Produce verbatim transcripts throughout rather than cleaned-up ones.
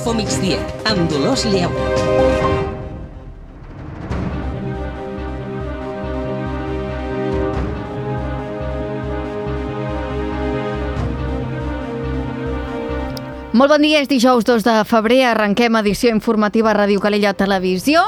Info Migdia, amb Dolors Lleu. Molt bon dia, és dijous dos de febrer, arrenquem edició informativa a Ràdio Calella Televisió.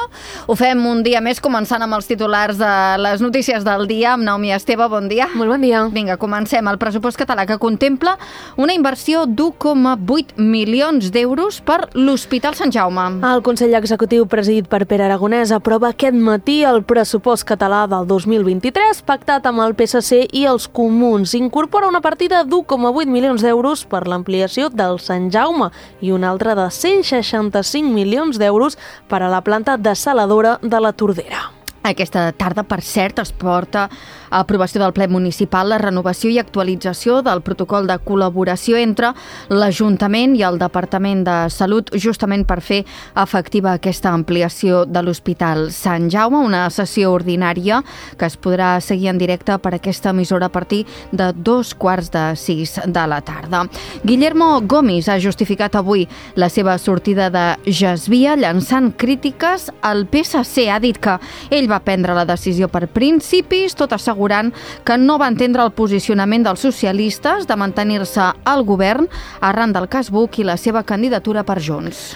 Ho fem un dia més, començant amb els titulars de les notícies del dia, amb Naomi Esteve, bon dia. Molt bon dia. Vinga, comencem. El pressupost català que contempla una inversió d'u coma vuit milions d'euros per l'Hospital Sant Jaume. El Consell Executiu presidit per Pere Aragonès aprova aquest matí el pressupost català del dos mil vint-i-tres, pactat amb el P S C i els Comuns. Incorpora una partida d'u coma vuit milions d'euros per l'ampliació del Sant Jaume i una altra de cent seixanta-cinc milions d'euros per a la planta dessaladora de la Tordera. Aquesta tarda, per cert, es porta a aprovació del ple municipal la renovació i actualització del protocol de col·laboració entre l'Ajuntament i el Departament de Salut, justament per fer efectiva aquesta ampliació de l'Hospital Sant Jaume, una sessió ordinària que es podrà seguir en directe per aquesta emissora a partir de dos quarts de sis de la tarda. Guillermo Gomis ha justificat avui la seva sortida de Jasvia, llançant crítiques al P S C. Ha dit que ell va prendre la decisió per principis, tot assegurant que no va entendre el posicionament dels socialistes de mantenir-se al govern arran del cas Buch i la seva candidatura per Junts.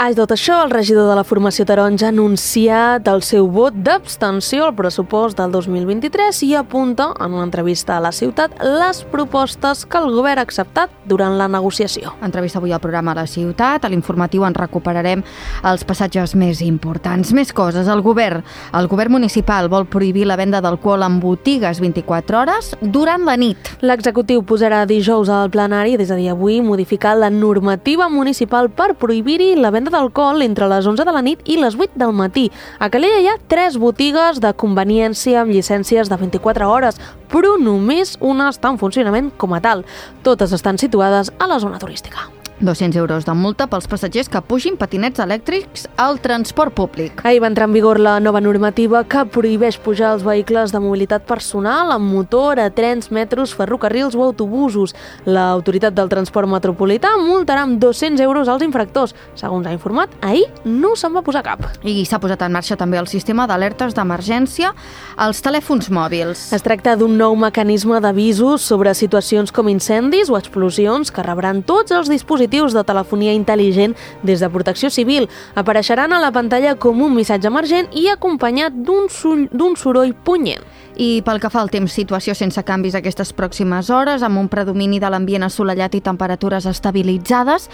A tot això, el regidor de la formació taronja ha anunciat el seu vot d'abstenció al pressupost del dos mil vint-i-tres i apunta, en una entrevista a La Ciutat, les propostes que el govern ha acceptat durant la negociació. Entrevista avui al programa La Ciutat. A l'informatiu en recuperarem els passatges més importants. Més coses. El govern, el govern municipal vol prohibir la venda d'alcohol en botigues vint-i-quatre hores durant la nit. L'executiu posarà dijous al plenari, des de dia avui, modificar la normativa municipal per prohibir-hi la venda d'alcohol entre les onze de la nit i les vuit del matí. A Calella hi ha tres botigues de conveniència amb llicències de vint-i-quatre hores, però només una està en funcionament com a tal. Totes estan situades a la zona turística. dos-cents euros de multa pels passatgers que pugin patinets elèctrics al transport públic. Ahir va entrar en vigor la nova normativa que prohibeix pujar els vehicles de mobilitat personal amb motor a trens, metros, ferrocarrils o autobusos. L'autoritat del transport metropolità multarà amb dos-cents euros als infractors. Segons ha informat, ahir no se'n va posar cap. I s'ha posat en marxa també el sistema d'alertes d'emergència als telèfons mòbils. Es tracta d'un nou mecanisme d'avisos sobre situacions com incendis o explosions que rebran tots els dispositius de telefonia intel·ligent des de Protecció Civil. Apareixeran a la pantalla com un missatge emergent i acompanyat d'un d'un soroll punyent. I pel que fa al temps, situació sense canvis aquestes pròximes hores, amb un predomini de l'ambient assolellat i temperatures estabilitzades,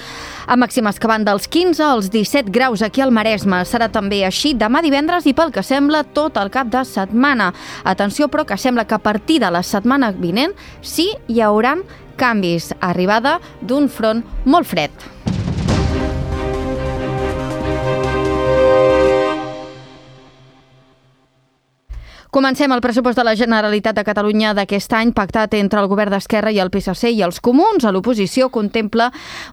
amb màximes que van dels quinze als disset graus aquí al Maresme. Serà també així demà divendres i pel que sembla tot el cap de setmana. Atenció, però, que sembla que a partir de la setmana vinent sí hi hauran canvis, arribada d'un front molt fred. Comencem el pressupost de la Generalitat de Catalunya d'aquest any, pactat entre el govern d'Esquerra i el P S C i els Comuns. A l'oposició contempla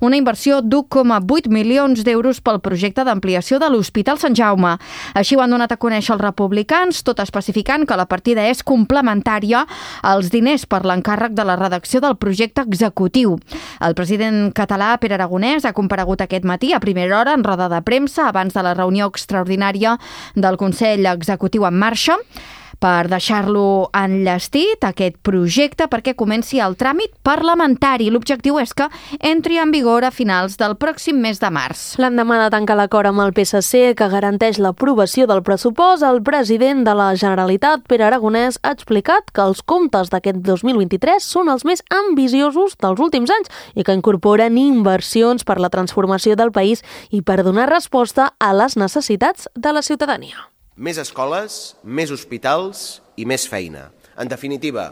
una inversió d'u coma vuit milions d'euros pel projecte d'ampliació de l'Hospital Sant Jaume. Així ho han donat a conèixer els republicans, tot especificant que la partida és complementària als diners per l'encàrrec de la redacció del projecte executiu. El president català, Pere Aragonès, ha comparegut aquest matí a primera hora en roda de premsa abans de la reunió extraordinària del Consell Executiu en marxa, per deixar-lo enllestit, aquest projecte, perquè comenci el tràmit parlamentari. L'objectiu és que entri en vigor a finals del pròxim mes de març. L'endemà de tancar l'acord amb el P S C, que garanteix l'aprovació del pressupost, el president de la Generalitat, Pere Aragonès, ha explicat que els comptes d'aquest dos mil vint-i-tres són els més ambiciosos dels últims anys i que incorporen inversions per la transformació del país i per donar resposta a les necessitats de la ciutadania. Més escoles, més hospitals i més feina. En definitiva,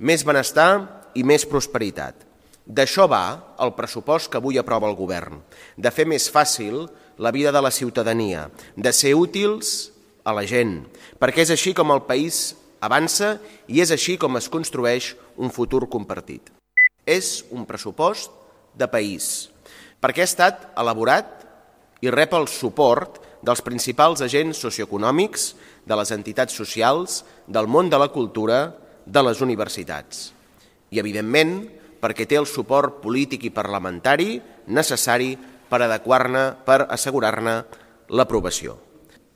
més benestar i més prosperitat. D'això va el pressupost que avui aprova el govern, de fer més fàcil la vida de la ciutadania, de ser útils a la gent, perquè és així com el país avança i és així com es construeix un futur compartit. És un pressupost de país, perquè ha estat elaborat i rep el suport dels principals agents socioeconòmics, de les entitats socials, del món de la cultura, de les universitats. I, evidentment, perquè té el suport polític i parlamentari necessari per adequar-ne, per assegurar-ne l'aprovació.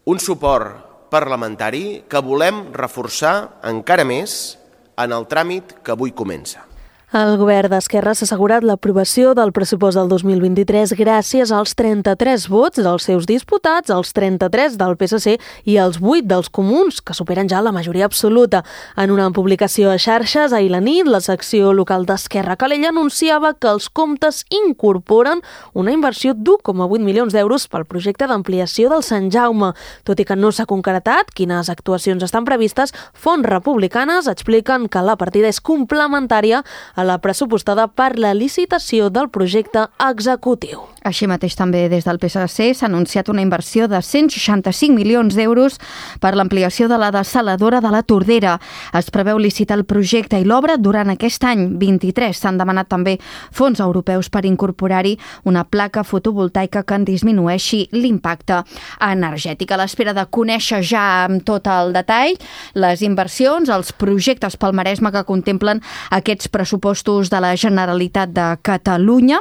Un suport parlamentari que volem reforçar encara més en el tràmit que avui comença. El govern d'Esquerra s'ha assegurat l'aprovació del pressupost del dos mil vint-i-tres gràcies als trenta-tres vots dels seus diputats, els trenta-tres del P S C i els vuit dels comuns, que superen ja la majoria absoluta. En una publicació a xarxes ahir la nit, la secció local d'Esquerra Calella anunciava que els comptes incorporen una inversió d'u coma vuit milions d'euros pel projecte d'ampliació del Sant Jaume. Tot i que no s'ha concretat quines actuacions estan previstes, fonts republicanes expliquen que la partida és complementària a la pressupostada per la licitació del projecte executiu. Així mateix també des del P S C s'ha anunciat una inversió de cent seixanta-cinc milions d'euros per l'ampliació de la dessaladora de la Tordera. Es preveu licitar el projecte i l'obra durant aquest any vint-i-tres. S'han demanat també fons europeus per incorporar-hi una placa fotovoltaica que en disminueixi l'impacte energètic. A l'espera de conèixer ja amb tot el detall les inversions, els projectes pel Maresme que contemplen aquests pressupostos de la Generalitat de Catalunya.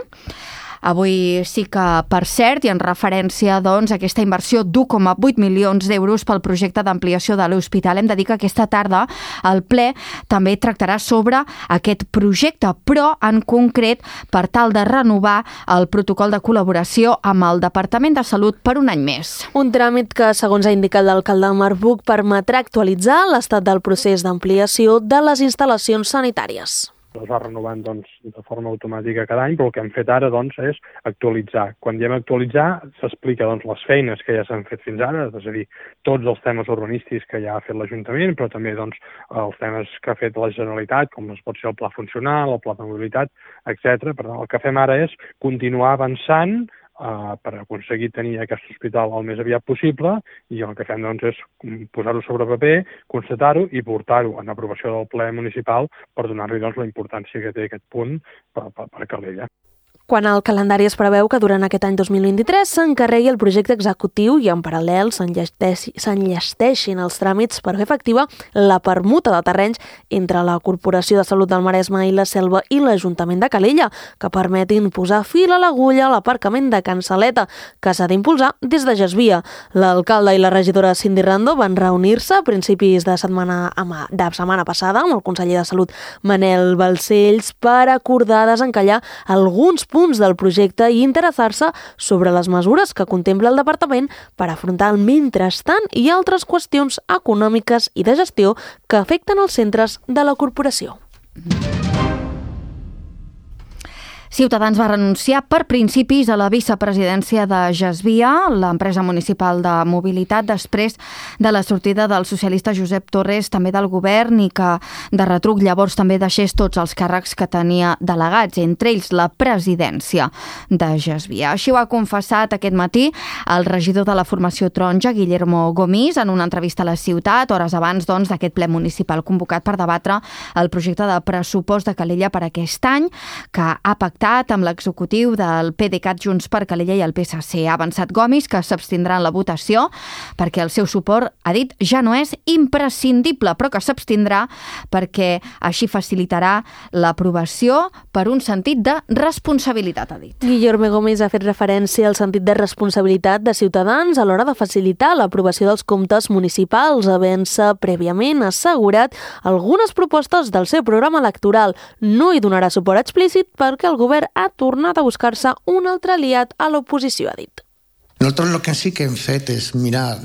Avui sí que, per cert, i en referència doncs, a aquesta inversió d'u coma vuit milions d'euros pel projecte d'ampliació de l'hospital, hem de dir que aquesta tarda el ple també tractarà sobre aquest projecte, però en concret per tal de renovar el protocol de col·laboració amb el Departament de Salut per un any més. Un tràmit que, segons ha indicat l'alcalde Marc Buch, permetrà actualitzar l'estat del procés d'ampliació de les instal·lacions sanitàries. Es va renovant doncs, de forma automàtica cada any, però el que hem fet ara doncs, és actualitzar. Quan diem actualitzar, s'explica doncs, les feines que ja s'han fet fins ara, és a dir, tots els temes urbanístics que ja ha fet l'Ajuntament, però també doncs, els temes que ha fet la Generalitat, com es pot ser el pla funcional, el pla de mobilitat, etcètera. Per tant, el que fem ara és continuar avançant Uh, per aconseguir tenir aquest hospital el més aviat possible, i el que fem doncs, és posar-ho sobre paper, constatar-ho i portar-ho en aprovació del ple municipal per donar-li doncs, la importància que té aquest punt per, per, per Calella. Quan el calendari es preveu que durant aquest any dos mil vint-i-tres s'encarregui el projecte executiu i en paral·lel s'enllesteixin els tràmits per fer efectiva la permuta de terrenys entre la Corporació de Salut del Maresme i la Selva i l'Ajuntament de Calella, que permetin posar fil a l'agulla a l'aparcament de Can Saleta, que s'ha d'impulsar des de Gesvia. L'alcalde i la regidora Cindy Rando van reunir-se a principis de setmana, de setmana passada amb el conseller de Salut Manel Balcells per acordar desencallar alguns punts del projecte i interessar-se sobre les mesures que contempla el departament per afrontar el mentrestant i altres qüestions econòmiques i de gestió que afecten els centres de la corporació. Ciutadans va renunciar per principis a la vicepresidència de Gesvia, l'empresa municipal de mobilitat, després de la sortida del socialista Josep Torres, també del govern, i que de retruc llavors també deixés tots els càrrecs que tenia delegats, entre ells la presidència de Gesvia. Així ho ha confessat aquest matí el regidor de la formació taronja, Guillermo Gomis, en una entrevista a la ciutat, hores abans doncs, d'aquest ple municipal convocat per debatre el projecte de pressupost de Calella per aquest any, que ha pactat amb l'executiu del PDeCAT Junts per Calella i el P S C. Ha avançat Gomis que s'abstindrà en la votació perquè el seu suport, ha dit, ja no és imprescindible, però que s'abstindrà perquè així facilitarà l'aprovació per un sentit de responsabilitat, ha dit. Guillermo Gomis ha fet referència al sentit de responsabilitat de Ciutadans a l'hora de facilitar l'aprovació dels comptes municipals, havent-se prèviament assegurat algunes propostes del seu programa electoral. No hi donarà suport explícit perquè el govern ha tornat a buscar-se un altre aliat a l'oposició, ha dit. Nosaltres el que sí que hem fet és mirar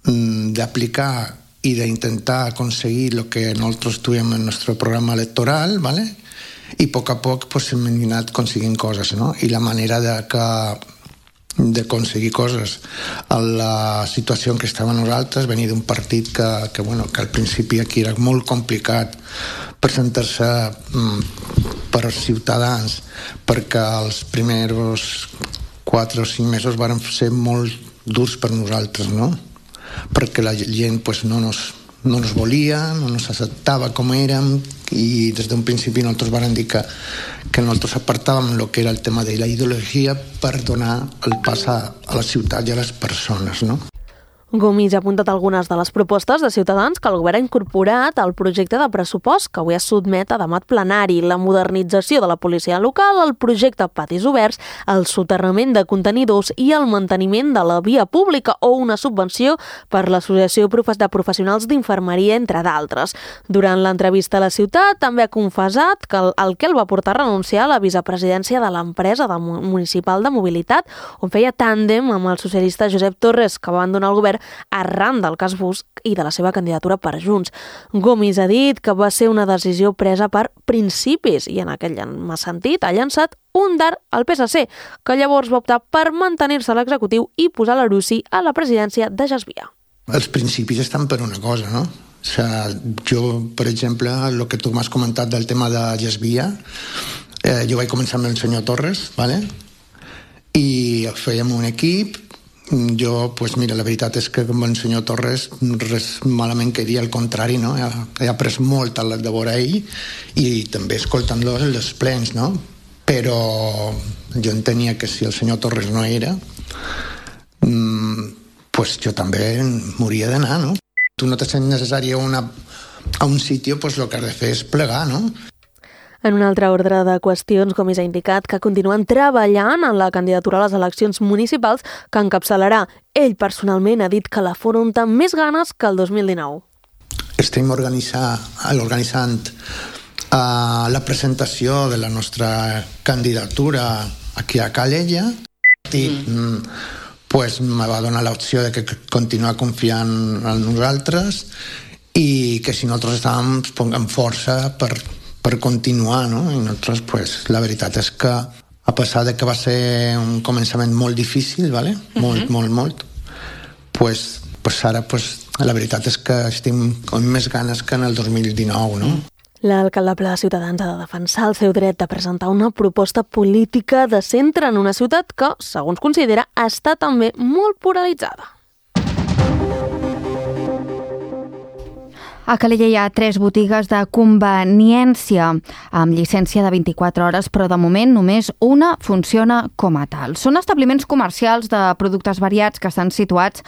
d'aplicar y de intentar conseguir lo que nosotros tuvimos en nuestro programa electoral, ¿vale? Y poco a poco pues hem anat consiguient coses, no? I la manera de que de conseguir coses a la situació en què estàvem nosaltres, venir d'un partit que, que, bueno, que al principi aquí era molt complicat presentar-se mm, per Ciutadans, perquè els primers quatre o cinc mesos varen ser molt durs per nosaltres, no? Perquè la gent pues, no nos no nos volia, no nos acceptava com érem, i des d'un principi nosaltres vam dir que, que nosaltres apartàvem el que era el tema de la ideologia per donar el pas a, a la ciutat i a les persones, no? Gomis ha apuntat algunes de les propostes de Ciutadans que el govern ha incorporat al projecte de pressupost que avui es sotmet a debat plenari: la modernització de la policia local, el projecte Patis Oberts, el soterrament de contenidors i el manteniment de la via pública o una subvenció per l'Associació de Professionals d'Infermeria, entre d'altres. Durant l'entrevista a La Ciutat també ha confessat que el, el que el va portar a renunciar a la vicepresidència de l'empresa de municipal de mobilitat, on feia tàndem amb el socialista Josep Torres, que va abandonar el govern arran del cas Bus i de la seva candidatura per Junts. Gomis ha dit que va ser una decisió presa per principis i en aquell sentit ha llançat un dard al P S C, que llavors va optar per mantenir-se a l'executiu i posar l'Arussi a la presidència de Gesvia. Els principis estan per una cosa, no? O sea, jo, per exemple, el que tu m'has comentat del tema de Gesvia, eh, jo vaig començar amb el senyor Torres, ¿vale? I fèiem un equip. Jo, pues mira, la veritat és que amb el senyor Torres res malament que dir, al contrari, no? He, he après molt a de veure ell i també escoltant-lo els plens, no? Però jo entenia que si el senyor Torres no era, mmm, pues jo també m'hauria d'anar, no? Tu no te sents necessari a, una, a un sitio, pues el que has de fer és plegar, no? En un altre ordre de qüestions, Gomis ha indicat que continuen treballant en la candidatura a les eleccions municipals que encapçalarà. Ell personalment ha dit que l'afronta amb més ganes que el dos mil dinou. Estem organitzar, organitzant uh, la presentació de la nostra candidatura aquí a Calella i mm. pues, me va donar l'opció de que continuar confiant en nosaltres i que si nosaltres estàvem amb força per per continuar, no? I nosaltres, pues, la veritat és que a pesar de que va ser un començament molt difícil, ¿vale? Molt, uh-huh. molt, molt, pues, pues ara, pues, la veritat és que estem amb més ganes que en el dos mil dinou, no? L'alcalde ple de Ciutadans ha de defensar el seu dret de presentar una proposta política de centre en una ciutat que, segons considera, està també molt polaritzada. A Calella hi ha tres botigues de conveniència amb llicència de vint-i-quatre hores, però de moment només una funciona com a tal. Són establiments comercials de productes variats que estan situats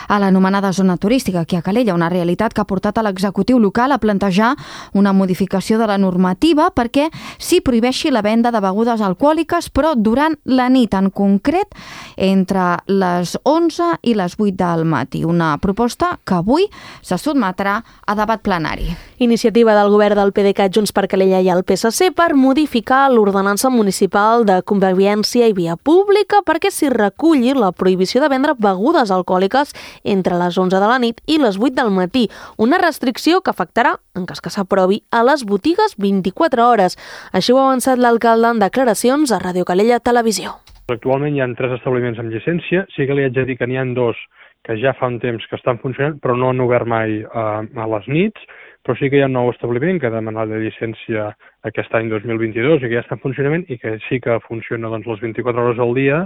a l'anomenada zona turística aquí a Calella, una realitat que ha portat a l'executiu local a plantejar una modificació de la normativa perquè s'hi prohibeixi la venda de begudes alcohòliques, però durant la nit, en concret entre les onze i les vuit del matí. Una proposta que avui se sotmetrà a debat plenari. Iniciativa del govern del P D C A, Junts per Calella i el P S C per modificar l'ordenança municipal de convivència i via pública perquè s'hi reculli la prohibició de vendre begudes alcohòliques entre les onze de la nit i les vuit del matí, una restricció que afectarà, en cas que s'aprovi, a les botigues vint-i-quatre hores. Així ho ha avançat l'alcalde en declaracions a Ràdio Calella Televisió. Actualment hi ha tres establiments amb llicència, sí que li haig de dir que n'hi ha dos que ja fa un temps que estan funcionant, però no han obert mai uh, a les nits, però sí que hi ha un nou establiment que ha demanat la llicència aquest any dos mil vint-i-dos i que ja està en funcionament i que sí que funciona doncs, les vint-i-quatre hores al dia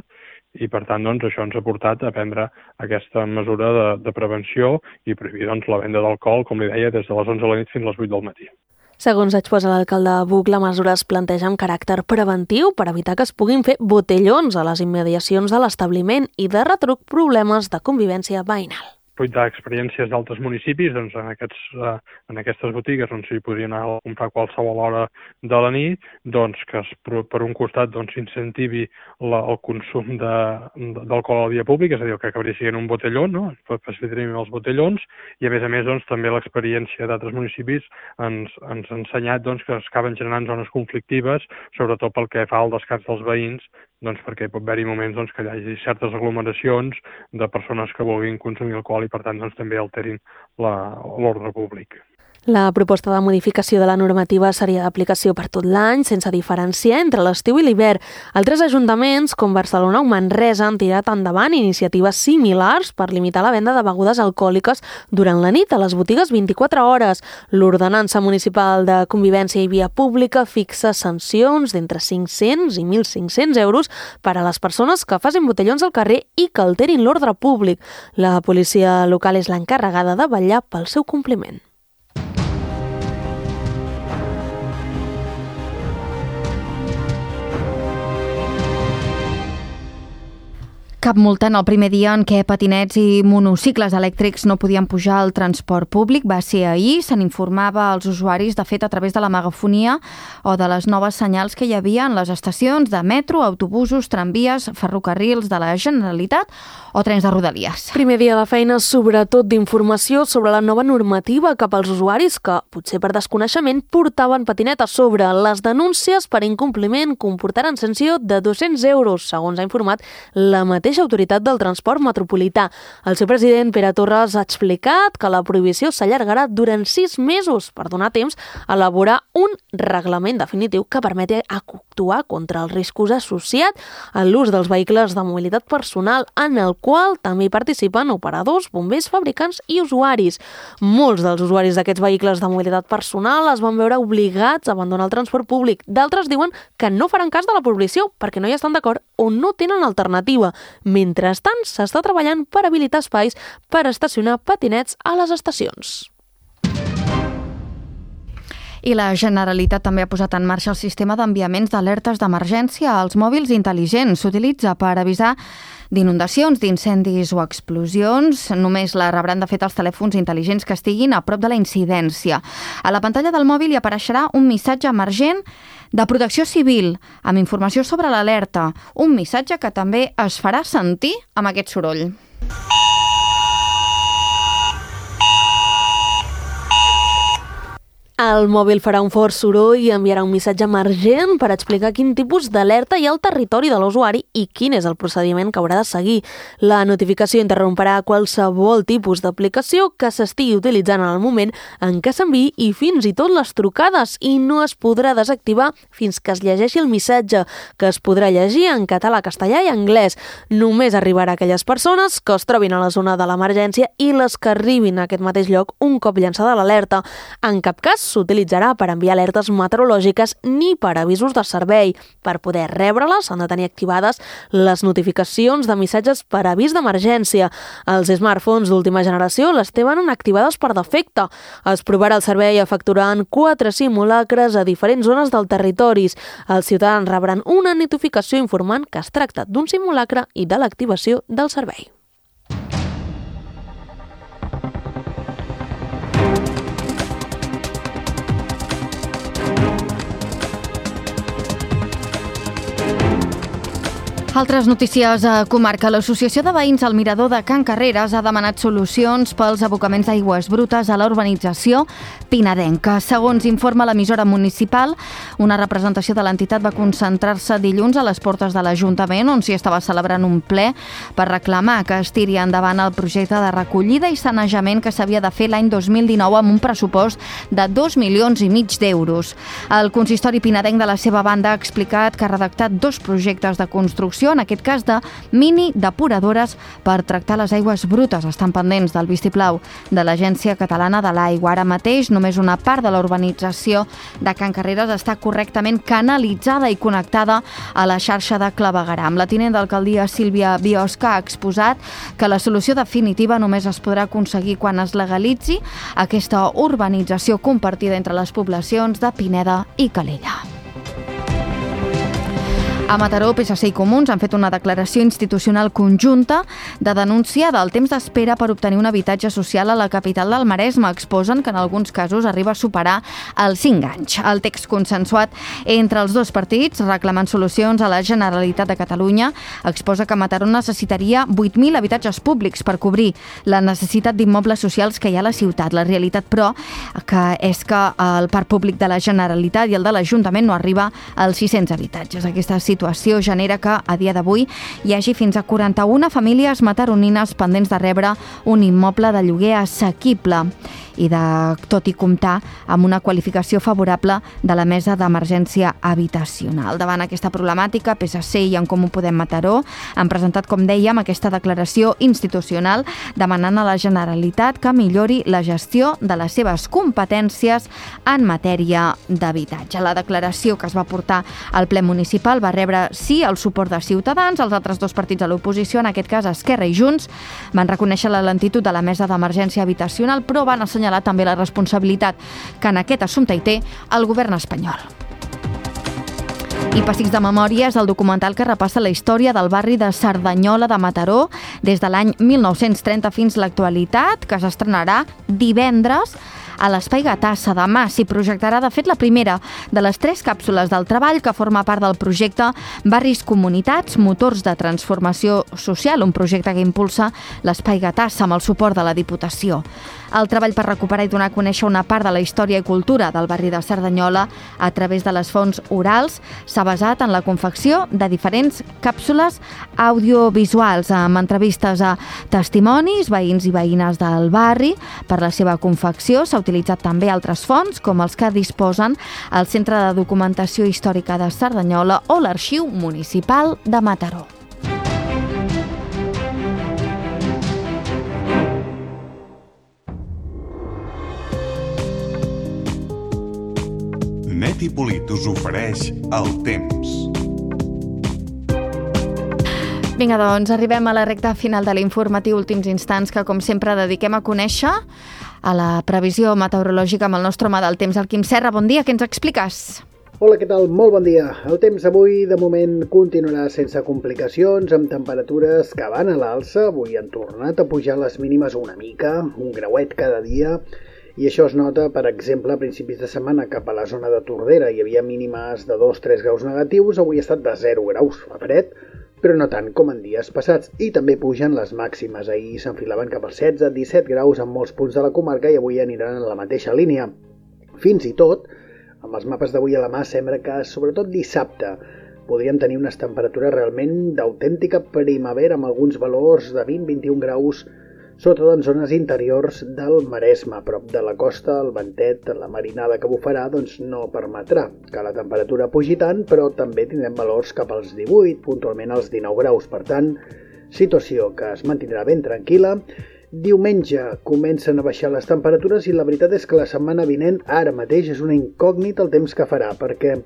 i per tant doncs, això ens ha portat a prendre aquesta mesura de, de prevenció i prohibir doncs, la venda d'alcohol, com li deia, des de les onze de la nit fins a les vuit del matí. Segons exposa l'alcalde Buch, la mesura es planteja amb caràcter preventiu per evitar que es puguin fer botellons a les immediacions de l'establiment i de retruc problemes de convivència veïnal. Fruit d'experiències d'altres municipis, doncs en, aquests, eh, en aquestes botigues on s'hi podien anar a comprar a qualsevol hora de la nit, doncs que es, per un costat doncs, s'incentivi la, el consum d'alcohol a la via pública, és a dir, que acabaria sent un botelló, no? Facilitaríem els botellons, i a més a més doncs, també l'experiència d'altres municipis ens, ens ha ensenyat doncs, que es acaben generant zones conflictives, sobretot pel que fa al descans dels veïns, doncs perquè pot haver-hi moments doncs, que hi hagi certes aglomeracions de persones que vulguin consumir alcohol i per tant doncs, també alterin l'ordre públic. La proposta de modificació de la normativa seria d'aplicació per tot l'any, sense diferenciar entre l'estiu i l'hivern. Altres ajuntaments, com Barcelona o Manresa, han tirat endavant iniciatives similars per limitar la venda de begudes alcohòliques durant la nit a les botigues vint-i-quatre hores. L'ordenança municipal de convivència i via pública fixa sancions d'entre cinc-cents i mil cinc-cents euros per a les persones que facin botellons al carrer i que alterin l'ordre públic. La policia local és l'encarregada de vetllar pel seu compliment. Cap multa en el primer dia en què patinets i monocicles elèctrics no podien pujar al transport públic. Va ser ahir, se n'informava als usuaris, de fet, a través de la megafonia o de les noves senyals que hi havia en les estacions de metro, autobusos, tramvies, ferrocarrils de la Generalitat o trens de Rodalies. Primer dia de feina, sobretot d'informació sobre la nova normativa cap als usuaris que, potser per desconeixement, portaven patinet a sobre. Les denúncies per incompliment comportaran sanció de dos-cents euros, segons ha informat la mateixa Autoritat del Transport Metropolità. El seu president, Pere Torres, ha explicat que la prohibició s'allargarà durant sis mesos per donar temps a elaborar un reglament definitiu que permeti actuar contra els riscos associats a l'ús dels vehicles de mobilitat personal, en el qual també participen operadors, bombers, fabricants i usuaris. Molts dels usuaris d'aquests vehicles de mobilitat personal es van veure obligats a abandonar el transport públic. D'altres diuen que no faran cas de la prohibició perquè no hi estan d'acord o no tenen alternativa. Mentrestant, s'està treballant per habilitar espais per estacionar patinets a les estacions. I la Generalitat també ha posat en marxa el sistema d'enviaments d'alertes d'emergència als mòbils intel·ligents. S'utilitza per avisar d'inundacions, d'incendis o explosions. Només la rebran, de fet, els telèfons intel·ligents que estiguin a prop de la incidència. A la pantalla del mòbil hi apareixerà un missatge emergent de protecció civil, amb informació sobre l'alerta. Un missatge que també es farà sentir amb aquest soroll. El mòbil farà un fort soroll i enviarà un missatge emergent per explicar quin tipus d'alerta hi ha al territori de l'usuari i quin és el procediment que haurà de seguir. La notificació interromperà qualsevol tipus d'aplicació que s'estigui utilitzant en el moment en què s'enviï i fins i tot les trucades, i no es podrà desactivar fins que es llegeixi el missatge, que es podrà llegir en català, castellà i anglès. Només arribarà a aquelles persones que es trobin a la zona de l'emergència i les que arribin a aquest mateix lloc un cop llançada l'alerta. En cap cas s'utilitzarà per enviar alertes meteorològiques ni per avisos de servei. Per poder rebre-les s'han de tenir activades les notificacions de missatges per avís d'emergència. Els smartphones d'última generació les tenen activades per defecte. Es provarà el servei efectuant quatre simulacres a diferents zones del territori. Els ciutadans rebran una notificació informant que es tracta d'un simulacre i de l'activació del servei. Altres notícies a comarca. L'Associació de Veïns al Mirador de Can Carreres ha demanat solucions pels abocaments d'aigües brutes a la urbanització pinadenca. Segons informa l'emissora municipal, una representació de l'entitat va concentrar-se dilluns a les portes de l'Ajuntament, on s'hi estava celebrant un ple per reclamar que es tiri endavant el projecte de recollida i sanejament que s'havia de fer l'any dos mil dinou amb un pressupost de dos milions i mig d'euros. El consistori pinadenc, de la seva banda, ha explicat que ha redactat dos projectes de construcció, en aquest cas de mini depuradores per tractar les aigües brutes. Estan pendents del vistiplau de l'Agència Catalana de l'Aigua. Ara mateix només una part de la urbanització de Can Carreres està correctament canalitzada i connectada a la xarxa de clavegueram. La tinent d'alcaldia Sílvia Biosca ha exposat que la solució definitiva només es podrà aconseguir quan es legalitzi aquesta urbanització compartida entre les poblacions de Pineda i Calella. A Mataró, P S C i Comuns han fet una declaració institucional conjunta de denúncia del temps d'espera per obtenir un habitatge social a la capital del Maresme. Exposen que en alguns casos arriba a superar els cinc anys. El text consensuat entre els dos partits, reclamant solucions a la Generalitat de Catalunya, exposa que Mataró necessitaria vuit mil habitatges públics per cobrir la necessitat d'immobles socials que hi ha a la ciutat. La realitat, però, que és que el parc públic de la Generalitat i el de l'Ajuntament no arriba als sis-cents habitatges. Aquesta situació situació genera que, a dia d'avui, hi hagi fins a quaranta-una famílies mataronines pendents de rebre un immoble de lloguer assequible i de tot i comptar amb una qualificació favorable de la Mesa d'Emergència Habitacional. Davant aquesta problemàtica, P S C i En Comú Podem Mataró han presentat, com dèiem, aquesta declaració institucional demanant a la Generalitat que millori la gestió de les seves competències en matèria d'habitatge. La declaració que es va portar al ple municipal va rebre, sí, el suport de Ciutadans. Els altres dos partits de l'oposició, en aquest cas Esquerra i Junts, van reconèixer la lentitud de la Mesa d'Emergència Habitacional, però van assenyalar també la responsabilitat que en aquest assumpte hi té el govern espanyol. I Pessics de Memòria és el documental que repassa la història del barri de Cerdanyola de Mataró des de l'any mil nou-cents trenta fins a l'actualitat, que s'estrenarà divendres a l'Espai Gatassa. Demà s'hi projectarà, de fet, la primera de les tres càpsules del treball que forma part del projecte Barris Comunitats, Motors de Transformació Social, un projecte que impulsa l'Espai Gatassa amb el suport de la Diputació. El treball per recuperar i donar a conèixer una part de la història i cultura del barri de Cerdanyola a través de les fonts orals s'ha basat en la confecció de diferents càpsules audiovisuals amb entrevistes a testimonis, veïns i veïnes del barri. Per la seva confecció s'ha utilitzat també altres fonts, com els que disposen el Centre de Documentació Històrica de Cerdanyola o l'Arxiu Municipal de Mataró. Net i Polit us ofereix el temps. Vinga, doncs, arribem a la recta final de l'informatiu Últims Instants, que com sempre dediquem a conèixer a la previsió meteorològica amb el nostre home del temps, el Quim Serra. Bon dia, què ens expliques? Hola, què tal? Molt bon dia. El temps avui, de moment, continuarà sense complicacions, amb temperatures que van a l'alça. Avui han tornat a pujar les mínimes una mica, un grauet cada dia, i això es nota, per exemple, a principis de setmana cap a la zona de Tordera. Hi havia mínimes de dos a tres graus negatius, avui ha estat de zero graus, fa fred, però no tant com en dies passats. I també pugen les màximes. Ahir s'enfilaven cap als setze a disset graus en molts punts de la comarca i avui aniran en la mateixa línia. Fins i tot, amb els mapes d'avui a la mà, sembla que, sobretot dissabte, podríem tenir unes temperatures realment d'autèntica primavera amb alguns valors de vint a vint-i-un graus, sobretot en zones interiors del Maresme, a prop de la costa, el ventet, la marinada que bufarà, doncs no permetrà que la temperatura pugi tant, però també tindrem valors cap als divuit, puntualment als dinou graus. Per tant, situació que es mantindrà ben tranquil·la. Diumenge comencen a baixar les temperatures i la veritat és que la setmana vinent ara mateix és una incògnita el temps que farà, perquè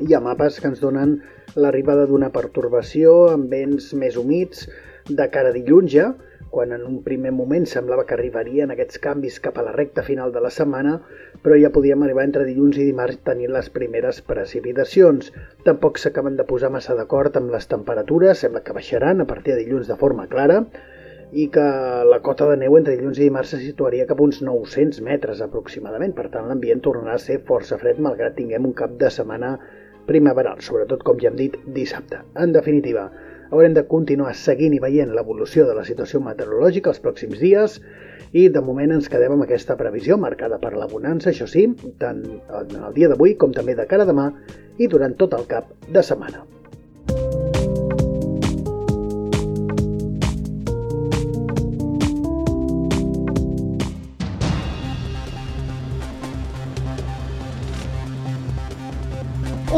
hi ha mapes que ens donen l'arribada d'una pertorbació amb vents més humits de cara a dilluns ja, quan en un primer moment semblava que arribarien aquests canvis cap a la recta final de la setmana, però ja podíem arribar entre dilluns i dimarts tenint les primeres precipitacions. Tampoc s'acaben de posar massa d'acord amb les temperatures, sembla que baixaran a partir de dilluns de forma clara, i que la cota de neu entre dilluns i dimarts se situaria cap a uns nou-cents metres aproximadament. Per tant, l'ambient tornarà a ser força fred, malgrat tinguem un cap de setmana primaveral, sobretot, com ja hem dit, dissabte. En definitiva, haurem de continuar seguint i veient l'evolució de la situació meteorològica els pròxims dies i de moment ens quedem amb aquesta previsió marcada per la bonança, això sí, tant en el dia d'avui com també de cara a demà i durant tot el cap de setmana.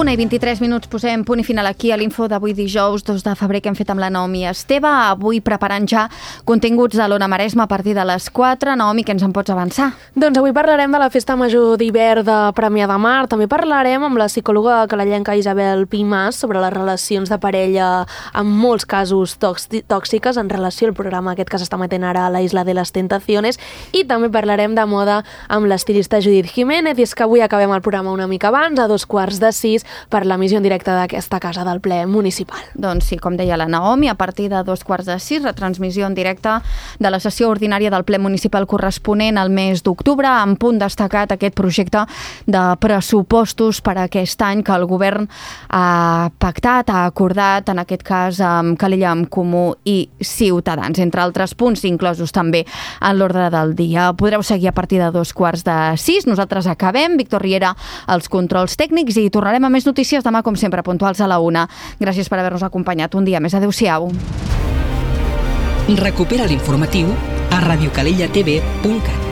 una i vint-i-tres minuts, posem punt i final aquí a l'info d'avui dijous dos de febrer que hem fet amb la Naomi Esteve, avui preparant ja continguts de l'Ona Maresme a partir de les quatre. Naomi, què ens en pots avançar? Doncs avui parlarem de la Festa Major d'hivern de Premià de Mar, també parlarem amb la psicòloga calellenca Isabel Pimàs sobre les relacions de parella en molts casos tòxiques en relació al programa aquest que s'està metent ara a la Isla de les Tentaciones, i també parlarem de moda amb l'estilista Judith Jiménez, i és que avui acabem el programa una mica abans, a dos quarts de sis, per l'emissió en directe d'aquesta casa del ple municipal. Doncs sí, com deia la Naomi, a partir de dos quarts de sis, retransmissió en directe de la sessió ordinària del ple municipal corresponent al mes d'octubre, amb punt destacat aquest projecte de pressupostos per a aquest any que el govern ha pactat, ha acordat, en aquest cas amb Calella, amb Comú i Ciutadans, entre altres punts inclosos també en l'ordre del dia. Podreu seguir a partir de dos quarts de sis. Nosaltres acabem. Víctor Riera als controls tècnics i tornarem a més notícies demà, com sempre, puntuals a la una. Gràcies per haver-nos acompanyat un dia més. Adéu-siau. Recupera l'informatiu a radiocalellatv punt cat.